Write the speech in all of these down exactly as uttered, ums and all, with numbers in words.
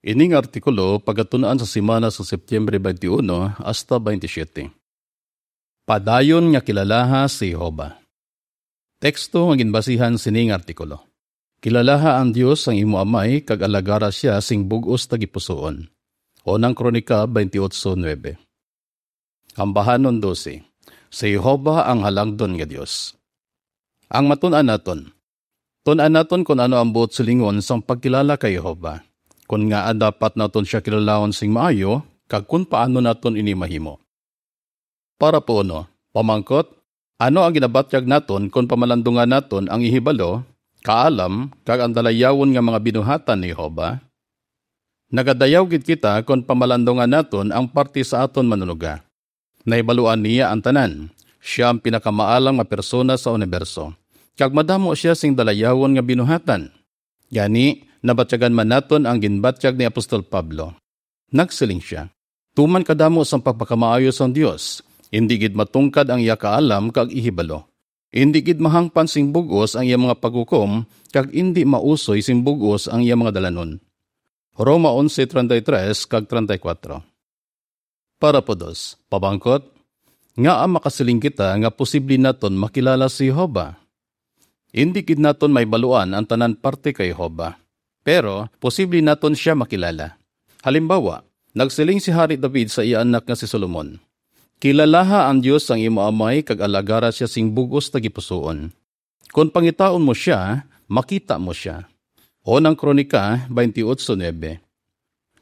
Ini nga artikulo pagatun-an sa semana sa Septyembre twenty-one hasta twenty-seven. Padayon nga kilalaha si Jehovah. Teksto nga ginbasihan sini nga artikulo. Kilalaha ang Dios ang imo amay kag alagara sia sing bug-os tagipusoon. Unang Kronika twenty-eight nuebe. Ambahanon dose. Si Jehovah ang halangdon nga Dios. Ang matun-an naton. Tun-an naton kon ano ang buot silingon sang pagkilala kay Jehovah. Kon ngaa dapat naton sia kilalahon sing maayo, kag kon paano naton ini mahimo. Para po uno, pamangkot, ano ang ginabatyag naton kon pamalandungan naton ang ihibalo, kaalam, kag ang dalayawon nga mga binuhatan ni Jehovah? Nagadayaw gid kita kon pamalandungan naton ang parte sa aton Manunuga. Nahibaluan niya ang tanan. Sia ang pinakamaalam nga persona sa uniberso, kag madamo sia sing dalayawon nga binuhatan. Gani, nabatyagan man naton ang ginbatyag ni Apostol Pablo. Nagsiling sia, "Tuman kadamo sang pagpakamaayo sang Dios, indi gid matungkad ang iya kaalam kag ihibalo. Indi gid mahangpan sing bug-os ang iya mga paghukom, kag indi mausoy sing bug-os ang iya mga dalanon." Roma onse treinta y tres kag treinta y cuatro. Para po dos, pamangkot, ngaa makasiling kita nga posible naton makilala si Jehovah? Indi gid naton mahibaluan ang tanan parte kay Jehovah, pero posible naton sia makilala. Halimbawa, nagsiling si Hari David sa iya anak nga si Solomon, "Kilalaha ang Dios ang imo amay kag alagara sia sing bug-os tagipusoon. Kon pangitaon mo sia, makita mo sia." Unang Kronika twenty-eight nuebe.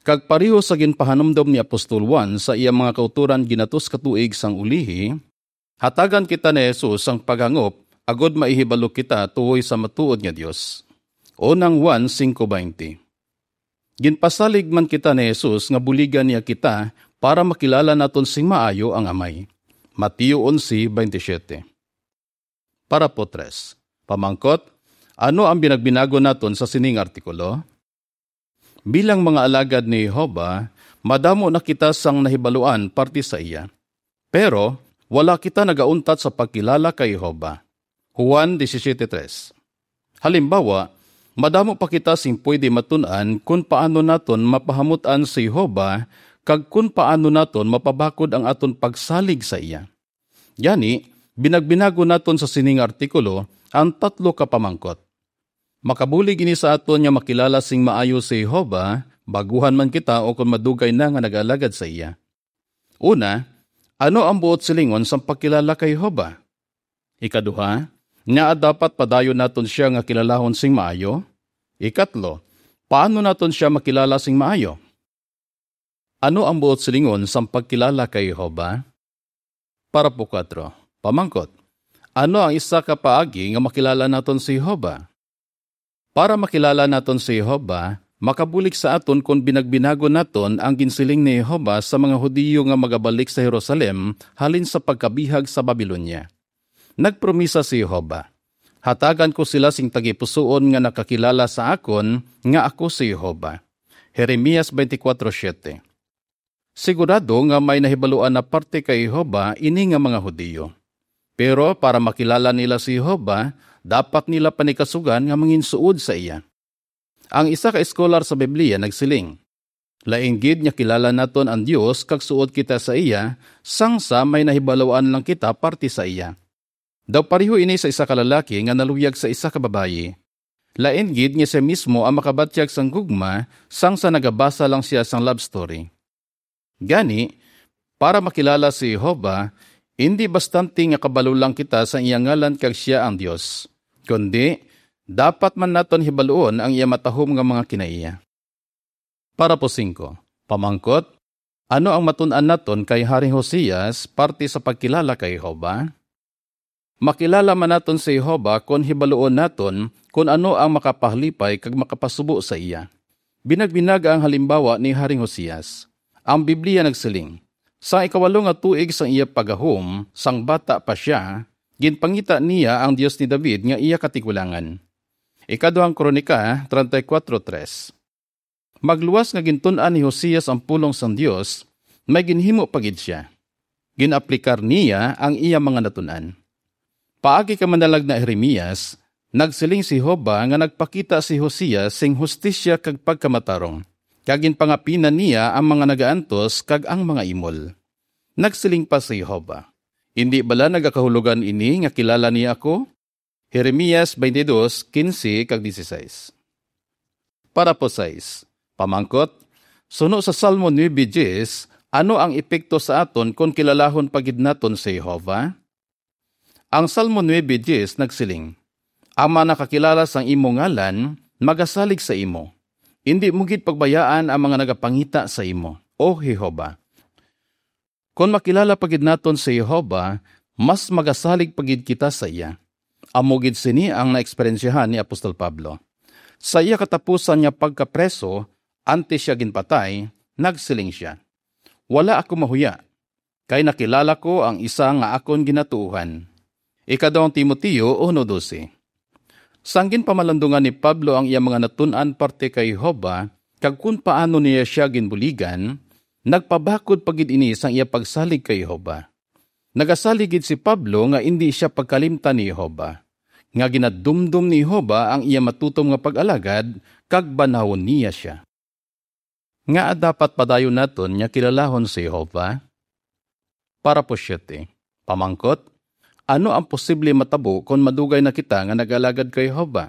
Kag pareho sa ginpahanumdom ni Apostol Juan sa iya mga kautoran ginatos ka tuig sang ulihi, hatagan kita ni Jesus sang paghangop agod maihibalo kita tuhoy sa matuod nga Dios. Unang Juan cinco veinte. Ginpasalig man kita ni Jesus nga buligan niya kita para makilala naton sing maayo ang Amay. Mateo onse veintisiete. Para po tres. Pamangkot, ano ang binagbinago naton sa sining artikulo? Bilang mga alagad ni Jehovah, madamo na kita sang nahibaluan parte sa iya. Pero wala kita nagauntat sa pagkilala kay Jehovah. Juan disisiete tres. Halimbawa, madamo pa kita sing pwede matun-an kon paano naton mapahamut-an si Jehovah kag kon paano naton mapabakod ang aton pagsalig sa iya. Gani, binagbinago naton sa sining artikulo ang tatlo ka pamangkot. Makabulig ini sa aton nga makilala sing maayo si Jehovah, baguhan man kita o kon madugay na nga nag-alagad sa iya. Una, ano ang buot silingon sang pagkilala kay Jehovah? Ikaduha, ngaa dapat padayon naton sia nga kilalahon sing maayo? Ikatlo, paano naton sia makilala sing maayo? Ano ang buot silingon sang pagkilala kay Jehovah? Para po kuwatro, pamangkot, ano ang isa ka paagi nga makilala naton si Jehovah? Para makilala naton si Jehovah, makabulig sa aton kon binagbinagon naton ang ginsiling ni Jehovah sa mga Hudiyo nga magabalik sa Jerusalem halin sa pagkabihag sa Babilonia. Nagpromisa si Jehovah, "Hatagan ko sila sing tagipusoon nga nakakilala sa akon nga ako si Jehovah." Jeremias twenty-four siete. Sigurado nga may nahibaluan na parte kay Jehovah ini nga mga Hudiyo. Pero para makilala nila si Jehovah, dapat nila panikasugan nga manginsuod sa iya. Ang isa ka eskolar sa Biblia nagsiling, "Lain gid nga kilala naton ang Dios kag suod kita sa iya, sang sa may nahibaluan lang kita parte sa iya." Daw pareho ini sa isa ka lalaki nga naluyag sa isa ka babayi. Lain gid nga sia mismo ang makabatyag sang gugma sang sa nagabasa lang sia sang love story. Gani, para makilala si Jehovah, indi bastante nga kabalo lang kita sa iya ngalan kag sia ang Dios, kundi dapat man naton hibaluon ang iya matahom nga mga kinaiya. Para po singko, pamangkot, ano ang matun-an naton kay Haring Josias parte sa pagkilala kay Jehovah? Makilala man naton si Jehovah kon hibaluon naton kon ano ang makapahalipay kag makapasubo sa iya. Binagbinaga ang halimbawa ni Haring Josias. Ang Biblia nagsiling, "Sa ikawalo nga tuig sang iya paggahom, sang bata pa sia, ginpangita niya ang Dios ni David nga iya katigulangan." Ikaduhang Kronika treinta y cuatro tres. Magluwas nga gintun-an ni Josias ang pulong sang Dios, may ginhimo pa gid sia. Gin-aplikar niya ang iya mga natun-an. Paagi kay manalagna Jeremias, nagsiling si Jehovah nga nagpakita si Josias sing hustisya kag pagkamatarong. kag ginpangapinan niya ang mga nagaantos kag ang mga imol. Nagsiling pa si Jehovah, "Indi bala nagakahulogan ini nga kilala niya ako?" Jeremias twenty-two, quince kag dieciséis. Parapo sais. Pamangkot, suno sa Salmo nuebe diez, ano ang epekto sa aton kon kilalahon pa gid naton si Jehovah? Ang Salmo nuebe diez nagsiling, "Ang mga nakakilala sang imo ngalan magasalig sa imo. Indi mo gid pagbayaan ang mga nagapangita sa imo, O Jehovah." Kon makilala pa gid naton si Jehovah, mas magasalig pa gid kita sa iya. Amo gid sini ang naeksperyensyahan ni Apostol Pablo. Sa iya katapusan nga pagkapreso, antes siya ginpatay, nagsiling sia, "Wala ako mahuya, kay nakilala ko ang isa nga akon ginatuohan." Ika-Dos Timoteo uno doce. Sang ginpamalandungan ni Pablo ang iya mga natun-an parte kay Jehovah kag kon paano niya sia ginbuligan, nagpabakod pa gid ini sang iya pagsalig kay Jehovah. Nagasalig gid si Pablo nga indi sia pagkalimtan ni Jehovah, nga ginadumdom ni Jehovah ang iya matutom nga pag-alagad kag banhawon niya sia. Ngaa dapat padayon naton nga kilalahon si Jehovah? Parapo siete. Pamangkot, ano ang posible matabo kon madugay na kita nga nag-alagad kay Jehovah?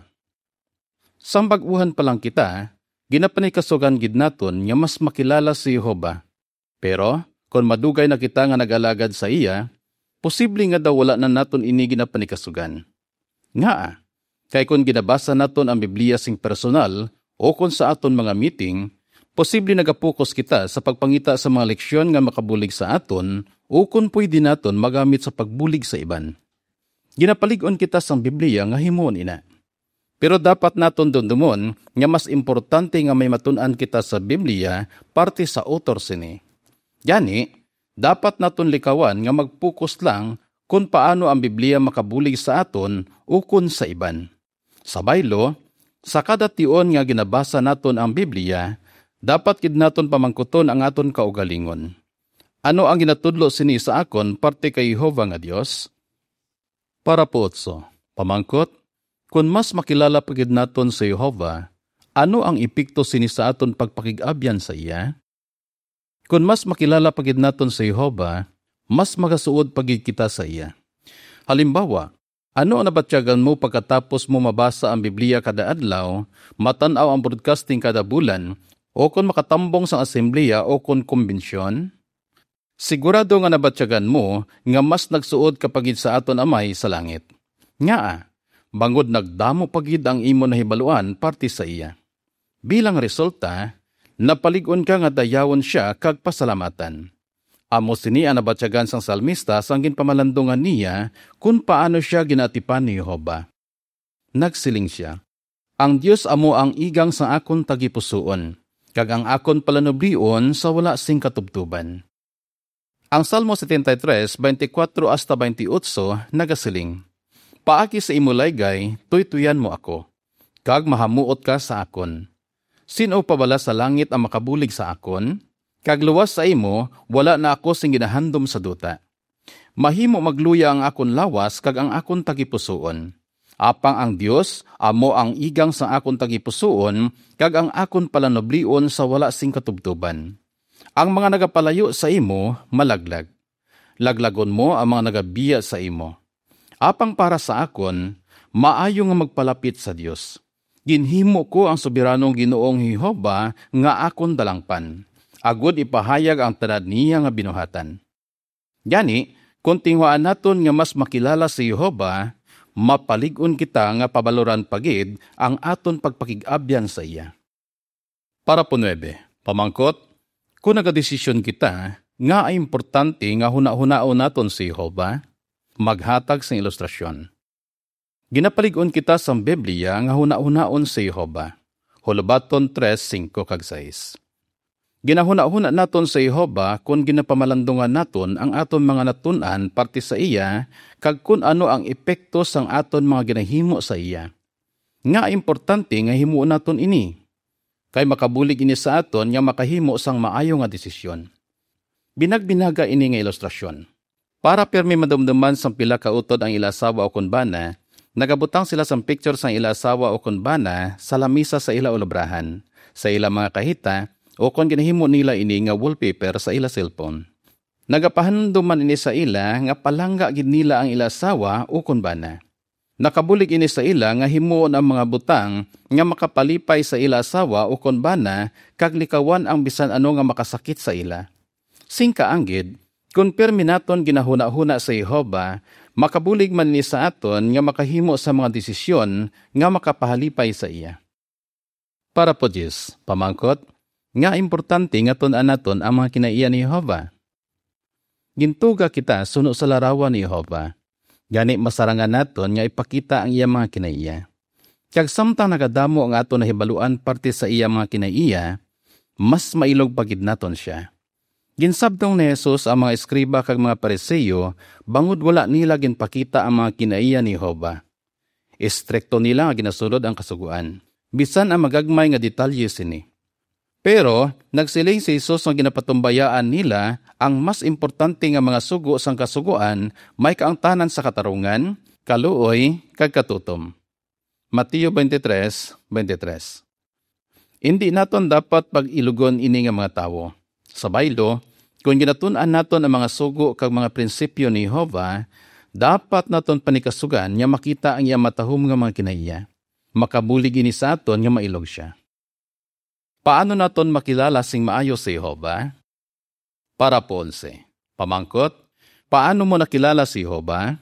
Sang bag-uhan pa lang kita, ginapanikasugan gid naton nga mas makilala si Jehovah. Pero kon madugay na kita nga nag-alagad sa iya, posible nga daw wala na naton ini ginapanikasugan. Ngaa? Kay kon ginabasa naton ang Biblia sing personal ukon sa aton mga meeting, posible nagapukos kita sa pagpangita sa mga leksyon nga makabulig sa aton ukon pwede naton magamit sa pagbulig sa iban. Ginapalig-on kita sang Biblia nga himuon ina. Pero dapat naton dumdumon nga mas importante nga may matun-an kita sa Biblia parte sa author sini. Gani, dapat naton likawan nga mag-focus lang kon paano ang Biblia makabulig sa aton ukon sa iban. Sa baylo, sa kada tion nga ginabasa naton ang Biblia, dapat gid naton pamangkuton ang aton kaugalingon, "Ano ang ginatudlo sini sa akon parte kay Jehovah nga Dios?" Parapo otso. Pamangkot, kon mas makilala pa gid naton si Jehovah, ano ang epekto sini sa aton pagpakig-abyan sa iya? Kon mas makilala pa gid naton si Jehovah, mas magasuod pa gid kita sa iya. Halimbawa, ano ang nabatyagan mo pagkatapos mo mabasa ang Biblia kada adlaw, matan-aw ang broadcasting kada bulan, o kon makatambong sang asembleya o kon kumbensyon? Sigurado nga nabatyagan mo nga mas nagsuod ka pa gid sa aton Amay sa langit. Ngaa? Bangod nagdamo pa gid ang imo nahibaluan parte sa iya. Bilang resulta, napalig-on ka nga dayawon sia kag pasalamatan. Amo sini ang nabatyagan sang salmista sang ginpamalandungan niya kon paano sia ginaatipan ni Jehovah. Nagsiling sia, "Ang Dios amo ang igang sang akon tagipusoon, kag ang akon palanublion sa wala sing katubtoban." Ang Salmo setenta y tres, veinticuatro hasta veintiocho nagasiling, "Paagi sa imo laygay, tuytuyan mo ako, kag mahamuot ka sa akon. Sin-o pa bala sa langit ang makabulig sa akon? Kag luwas sa imo, wala na ako sing ginahandom sa duta. Mahimo magluya ang akon lawas kag ang akon tagipusoon. Apang ang Dios amo ang igang sa akon tagipusoon kag ang akon palanublion sa wala sing katubtoban. Ang mga nagapalayo sa imo malaglag. Laglagon mo ang mga nagabiya sa imo. Apang para sa akon, maayo nga magpalapit sa Dios. Ginhimo ko ang Soberanong Ginoong Jehovah nga akon dalangpan, agod ipahayag ang tanan niya nga binuhatan." Gani, kon tinguhaan naton nga mas makilala si Jehovah, mapalig-on kita nga pabaloran pa gid ang aton pagpakig-abyan sa iya. Parapo nuebe. Pamangkot, kon nagadesisyon kita, ngaa importante nga hunahunaon naton si Jehovah? Maghatag sing ilustrasyon. Ginapalig-on kita sang Biblia nga hunahunaon si Jehovah. Holobaton tres, singko kag sais. Ginahunahuna naton si Jehovah kon ginapamalandungan naton ang aton mga natun-an parte sa iya kag kon ano ang epekto sang aton mga ginahimo sa iya. Ngaa importante nga himuon naton ini? Kay makabulig ini sa aton nga makahimo sang maayo nga desisyon. Binagbinaga ini nga ilustrasyon. Para pirmi madumduman sang pila ka utod ang ila asawa ukon bana, nagabutang sila sang picture sang ila asawa ukon bana sa lamisa sa ila ulubrahan, sa ila mga kahita, ukon ginahimo nila ini nga wallpaper sa ila cellphone. Nagapahandom man ini sa ila nga palangga gid nila ang ila asawa ukon bana. Nakabulig ini sa ila nga himuon ang mga butang nga makapalipay sa ila asawa ukon bana kag likawan ang bisan ano nga makasakit sa ila. Sing kaanggid, kon pirme naton ginahunahuna sa Jehovah, makabulig man ini sa aton nga makahimo sa mga desisyon nga makapahalipay sa iya. Parapo diyes, pamangkot, nga importante nga tun-an naton ang mga kinaiya ni Jehovah. Gintuga kita suno sa larawan ni Jehovah. Gani, masarangan naton nga ipakita ang iya mga kinaiya. Kag samtang nagadamo ang aton nahibaluan parte sa iya mga kinaiya, mas mailog pa gid naton sia. Ginsabtong ni Jesus ang mga eskriba kag mga Pariseo bangod wala nila ginpakita ang mga kinaiya ni Jehovah. Estrikto nila nga ginasulod ang Kasugoan, bisan ang magagmay nga detalye sini. Pero nagsiling si Jesus nga ginapatumbayaan nila ang mas importante nga mga sugo sang Kasugoan, may kaangtanan sa katarungan, kaluoy, kag katutom. Mateo twenty-three, twenty-three. Indi naton dapat pag-ilugon ini nga mga tawo. Sa baylo, kon ginatun-an naton ang mga sugo kag mga prinsipyo ni Jehovah, dapat naton panikasugan nga makita ang iya matahom nga mga kinaiya. Makabulig ini sa aton nga mailog sia. Paano naton makilala sing maayo si Jehovah? Parapo onse. Pamangkot, paano mo nakilala si Jehovah?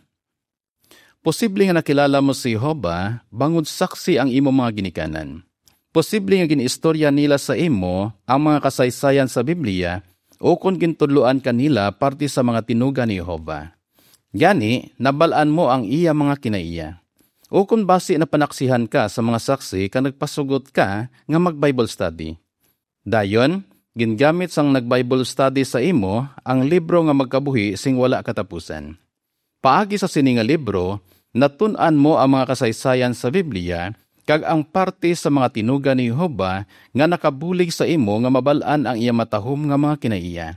Posible nga nakilala mo si Jehovah bangod saksi ang imo mga ginikanan. Posible nga gin-istorya nila sa imo ang mga kasaysayan sa Biblia, o kon gintudloan ka nila parte sa mga tinuga ni Jehovah. Gani, nabal-an mo ang iya mga kinaiya. O kon basi napanaksihan ka sa mga saksi kag nagpasugot ka nga mag-Bible study. Dayon, gingamit sang nag-Bible study sa imo ang libro nga magkabuhi sing wala katapusan. Paagi sa sini nga libro, natun-an mo ang mga kasaysayan sa Biblia kag ang parte sa mga tinuga ni Jehovah nga nakabulig sa imo nga mabal-an ang iya matahom nga mga kinaiya.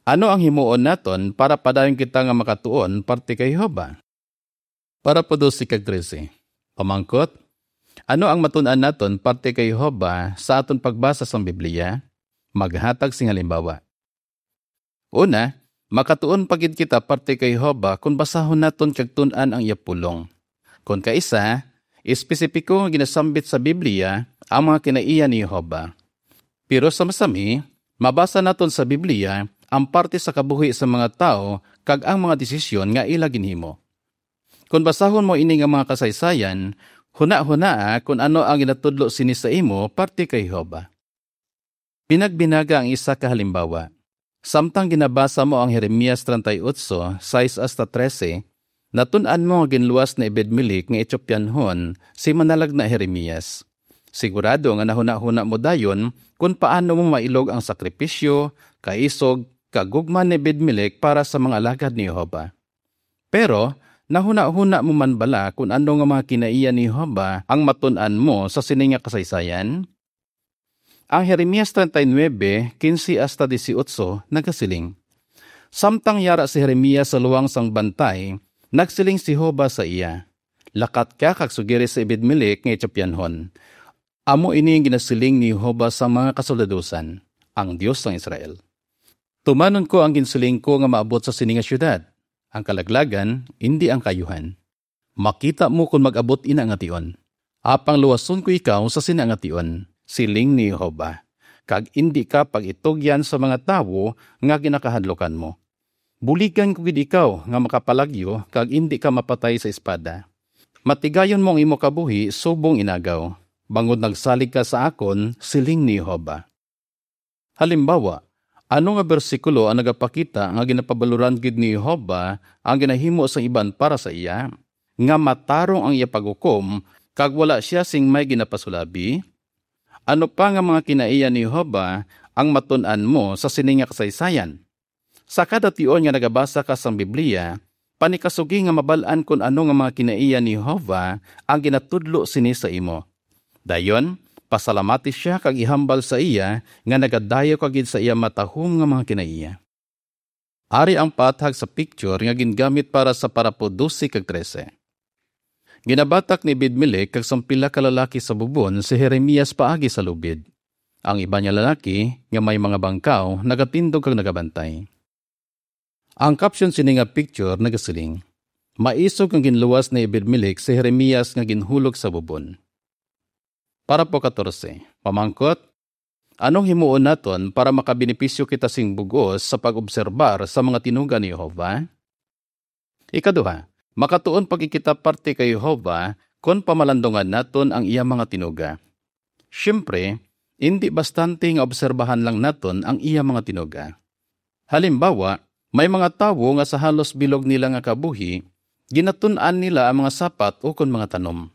Ano ang himuon naton para padayon kita nga makatuon parte kay Jehovah? Parapo dose kag trese. Pamangkot, ano ang matun-an naton parte kay Jehovah sa aton pagbasa sang Biblia? Maghatag sing halimbawa. Una, makatuon pa gid kita parte kay Jehovah kon basahon naton kag tun-an ang iya pulong. Kon kaisa, espesipiko nga ginasambit sa Biblia ang mga kinaiya ni Jehovah. Pero sa masami, mabasa naton sa Biblia ang parte sa kabuhi sa mga tawo kag ang mga desisyon nga ila ginhimo. Kon basahon mo ini nga mga kasaysayan, hunahunaa kon ano ang ginatudlo sini sa imo parte kay Jehovah. Binagbinaga ang isa ka halimbawa. Samtang ginabasa mo ang Jeremias treinta y ocho, sais hasta trese, natun-an mo nga ginluwas ni Ebed-Melec nga Etiopianhon si manalagna Jeremias. Sigurado nga nahunahuna mo dayon kon paano mo mailog ang sakripisyo, kaisog, kag gugma ni Ebed-Melec para sa mga alagad ni Jehovah. Pero nahunahuna mo man bala kon ano nga mga kinaiya ni Jehovah ang matun-an mo sa sini nga kasaysayan? Ang Jeremias treinta y nuebe, quince hasta dieciocho nagasiling, samtang yara si Jeremias sa luwang sang bantay, nagsiling si Jehovah sa iya, "Lakat ka kag sugiri si Ebed-Melec nga Etiopianhon. Amo ini ang ginasiling ni Jehovah sa mga kasoldadusan, ang Dios sang Israel. Tumanon ko ang ginsiling ko nga maabot sa sini nga siyudad, ang kalaglagan, indi ang kaayuhan. Makita mo kon mag-abot ina nga tion. Apang luwason ko ikaw sa sina nga tion, siling ni Jehovah, kag indi ka pag-itugyan sa mga tawo nga ginakahadlukan mo. Buligan ko gid ikaw nga makapalagyo kag indi ka mapatay sa espada. Matigayon mo ang imo kabuhi subong inagaw, bangod nagsalig ka sa akon," siling ni Jehovah. Halimbawa, ano nga bersikulo ang nagapakita nga ginapabaloran gid ni Jehovah ang ginahimo sang iban para sa iya, nga matarong ang iya paghukom kag wala sia sing may ginapasulabi? Ano pa nga mga kinaiya ni Jehovah ang matun-an mo sa sini nga kasaysayan? Sa kada tion nga nagabasa ka sang Biblia, panikasugi nga mabal-an kon ano nga mga kinaiya ni Jehovah ang ginatudlo sini sa imo. Dayon, pasalamati sia kag ihambal sa iya nga nagadayaw ka gid sa iya matahom nga mga kinaiya. Ari ang paathag sa picture nga gingamit para sa parapo dose kag trese. Ginabatak ni Ebed-Melec kag sang pila ka lalaki sa bubon si Jeremias paagi sa lubid. Ang iban nga lalaki nga may mga bangkaw nagatindog kag nagabantay. Ang caption sini nga picture nagasiling, "Maisog nga ginluwas ni Ebed-Melek si Jeremias nga ginhulog sa bubon." Parapo katorse, pamangkot, anong himuon naton para makabenepisyo kita sing bug-os sa pag-obserbar sa mga tinuga ni Jehovah? Ikaduha, makatuon pa gid kita parte kay Jehovah kon pamalandungan naton ang iya mga tinuga. Siyempre, indi bastante nga obserbahan lang naton ang iya mga tinuga. Halimbawa, may mga tawo nga sa halos bilog nila nga kabuhi, ginatun-an nila ang mga sapat ukon mga tanom.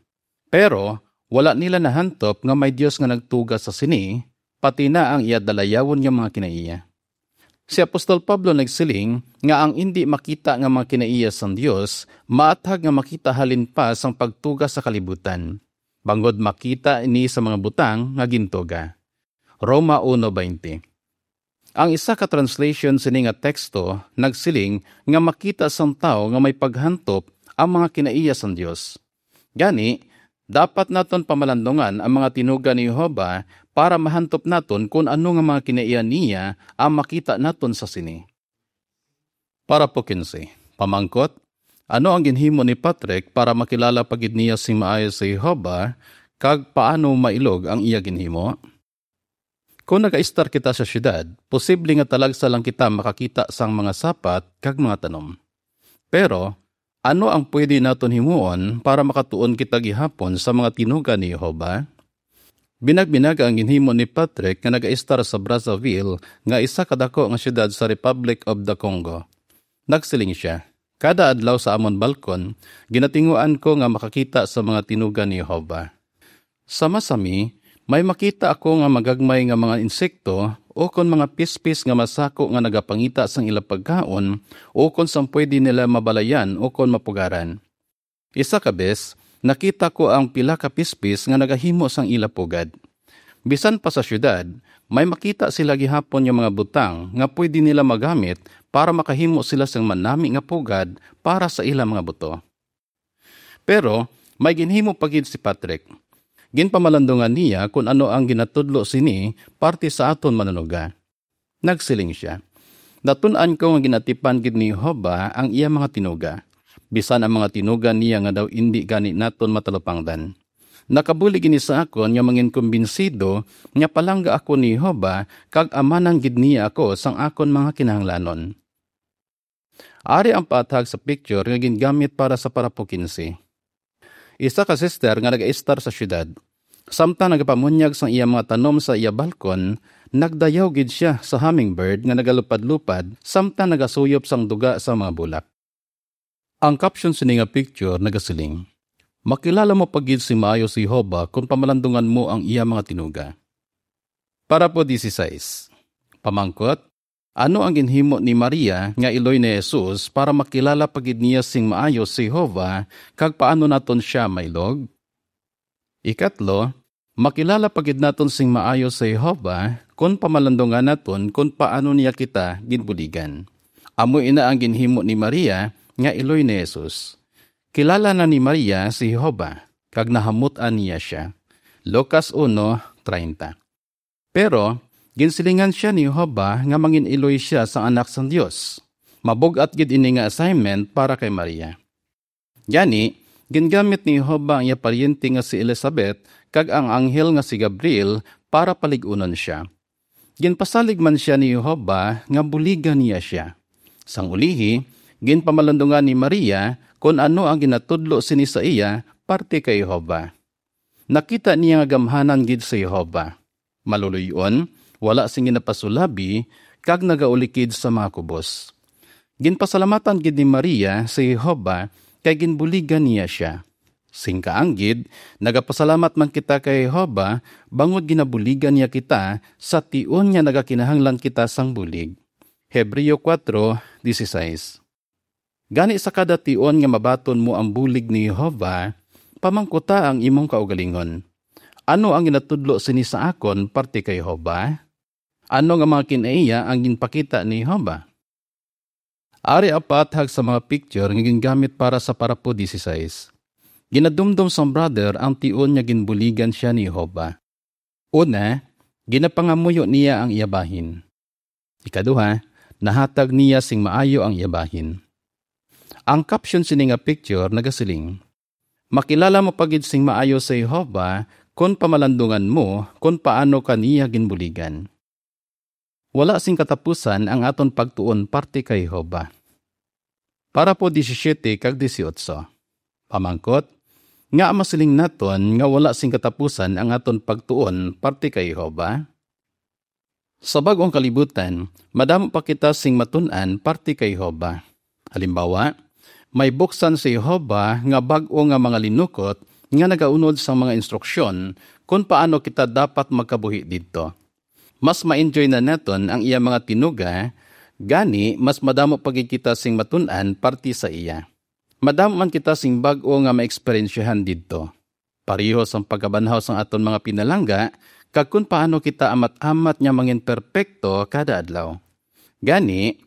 Pero wala nila nahantop nga may Dios nga nagtuga sa sini, pati na ang iya dalayawon nga mga kinaiya. Si Apostol Pablo nagsiling nga ang indi makita nga mga kinaiya sang Dios maathag nga makita halin pa sang pagtuga sa kalibutan, bangod makita ini sa mga butang nga gintuga. Roma uno veinte. Ang isa ka translation sini nga teksto nagsiling nga makita sang tawo nga may paghantop ang mga kinaiya sang Dios. Gani, dapat naton pamalandungan ang mga tinuga ni Jehovah para mahantop naton kon ano nga mga kinaiya niya ang makita naton sa sini. Parapo quince, pamangkot, ano ang ginhimo ni Patrick para makilala pa gid niya sing maayo si Jehovah, kag paano mailog ang iya ginhimo? Kon nagaistar kita sa siyudad, posible nga talagsa lang kita makakita sang mga sapat kag mga tanom. Pero ano ang pwede naton himuon para makatuon kita gihapon sa mga tinuga ni Jehovah? Binagbinag ang ginhimo ni Patrick nga nagaistar sa Brazzaville, nga isa ka daku nga siyudad sa Republic of the Congo. Nagsiling sia, "Kada adlaw sa amon balkon, ginatinguan ko nga makakita sa mga tinuga ni Jehovah. Sa masami, may makita ako nga magagmay nga mga insekto ukon mga pispis nga masako nga nagapangita sang ila pagkaon ukon sang pwede nila mabalayan ukon mapugaran. Isa ka bes, nakita ko ang pila ka pispis nga nagahimo sang ila pugad. Bisan pa sa siyudad, may makita sila gihapon nga mga butang nga pwede nila magamit para makahimo sila sang manami nga pugad para sa ila mga buto." Pero may ginhimo pa gid si Patrick. Ginpamalandungan niya kon ano ang ginatudlo sini parte sa aton manunuga. Nagsiling sia, "Natun-an ko nga ginatipan gid ni Jehovah ang iya mga tinuga, bisan ang mga tinuga niya nga daw indi gani naton matalupangdan. Nakabulig ini sa akon nga manginkumbinsido nga palangga ako ni Jehovah kag amanan gid niya ako sang akon mga kinahanglanon." Ari ang paathag sa picture nga gingamit para sa parapo quince. Isa ka sister nga nagaistar sa siyudad. Samtang nagapamunyag sang iya mga tanom sa iya balkon, nagdayaw gid sia sa hummingbird nga nagalupad-lupad samtang nagasuyop sang duga sa mga bulak. Ang caption sini nga picture nagasiling, "Makilala mo pa gid sing maayo si Jehovah kon pamalandungan mo ang iya mga tinuga." Parapo dieciséis. Pamangkot, ano ang ginhimo ni Maria nga iloy ni Jesus para makilala pa gid niya sing maayo si Jehovah, kag paano naton sia mailog? Ikatlo, makilala pa gid naton sing maayo si Jehovah kon pamalandungan naton kon paano niya kita ginbuligan. Amo ina ang ginhimo ni Maria nga iloy ni Jesus. Kilala na ni Maria si Jehovah, kag nahamut-an niya sia. Lucas uno treinta. Pero ginsilingan sia ni Jehovah nga mangin-iloy sia sang Anak sang Dios. Mabug-at gid ini nga assignment para kay Maria. Gani, gingamit ni Jehovah ang iya paryente nga si Elizabeth kag ang anghel nga si Gabriel para palig-unon sia. Ginpasalig man sia ni Jehovah nga buligan niya sia. Sang ulihi, ginpamalandungan ni Maria kon ano ang ginatudlo sini sa iya parte kay Jehovah. Nakita niya nga gamhanan gid si Jehovah. Maluloy-on, wala sing ginapasulabi, kag nagaulikid sa mga kubos. Ginpasalamatan gid ni Maria si Jehovah kay ginbuligan niya sia. Sing kaanggid, nagapasalamat man kita kay Jehovah bangod ginabuligan niya kita sa tion nga nagakinahanglan kita sang bulig. Hebreo kuwatro dieciséis. Gani, sa kada tion nga mabaton mo ang bulig ni Jehovah, pamangkuta ang imong kaugalingon, "Ano ang ginatudlo sini sa akon parte kay Jehovah? Ano nga mga kinaiya ang ginpakita ni Jehovah?" Ari ang paathag sa mga picture nga gingamit para sa parapo dieciséis. Ginadumdom sang brother ang tion nga ginbuligan sia ni Jehovah. Una, Ginapangamuyo niya ang iya bahin. Ikaduha, nahatag niya sing maayo ang iya bahin. Ang caption sini nga picture nagasiling, "Makilala mo pa gid sing maayo si Jehovah kon pamalandungan mo kon paano ka niya ginbuligan." Wala sing katapusan ang aton pagtuon parte kay Jehovah. Parapo disisiete kag dieciocho. Pamangkot, nga masiling naton nga wala sing katapusan ang aton pagtuon parte kay Jehovah? Sa bag-ong kalibutan, madamo pa kita sing matun-an parte kay Jehovah. Halimbawa, may buksan si Jehovah nga bag-o nga mga linukot nga nagaunod sang mga instruksyon kon paano kita dapat magkabuhi didto. Mas ma-enjoy na naton ang iya mga tinuga, gani mas madamo pa gid kita sing matun-an parte sa iya. Madamo man kita sing bag-o nga maeksperiensyahan didto, pareho sang pagkabanhaw sang aton mga pinalangga, kag kon paano kita amat-amat nga mangin perpekto kada adlaw. Gani,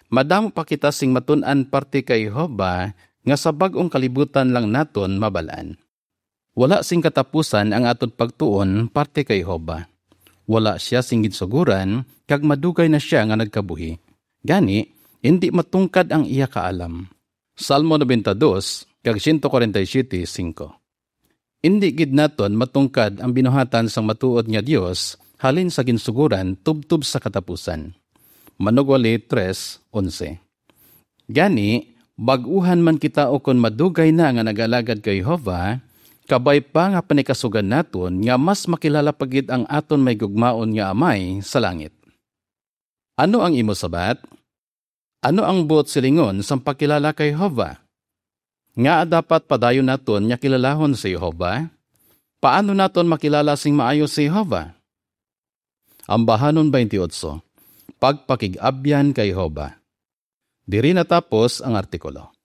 madamo pa kita sing matun-an parte kay Jehovah nga sa bag-ong kalibutan lang naton mabal-an. Wala sing katapusan ang aton pagtuon parte kay Jehovah. Wala sia sing ginsugoran, kag madugay na sia nga nagkabuhi. Gani, indi matungkad ang iya kaalam. Salmo ninety-two kag one forty-seven five. Indi gid naton matungkad ang binuhatan sang matuod nga Dios halin sa ginsugoran tubtob sa katapusan. Manugwali three onse. Gani, bag-uhan man kita ukon madugay na nga nag-alagad kay Jehovah, kabay pa nga panikasugan naton nga mas makilala pa gid ang aton may gugmaon nga Amay sa langit. Ano ang imo sabat? Ano ang buot silingon sang pagkilala kay Jehovah? Ngaa dapat padayon naton nga kilalahon si Jehovah? Paano naton makilala sing maayo si Jehovah? Ambahanon twenty-eight, Pagpakig-abyan kay Jehovah. Diri natapos ang artikulo.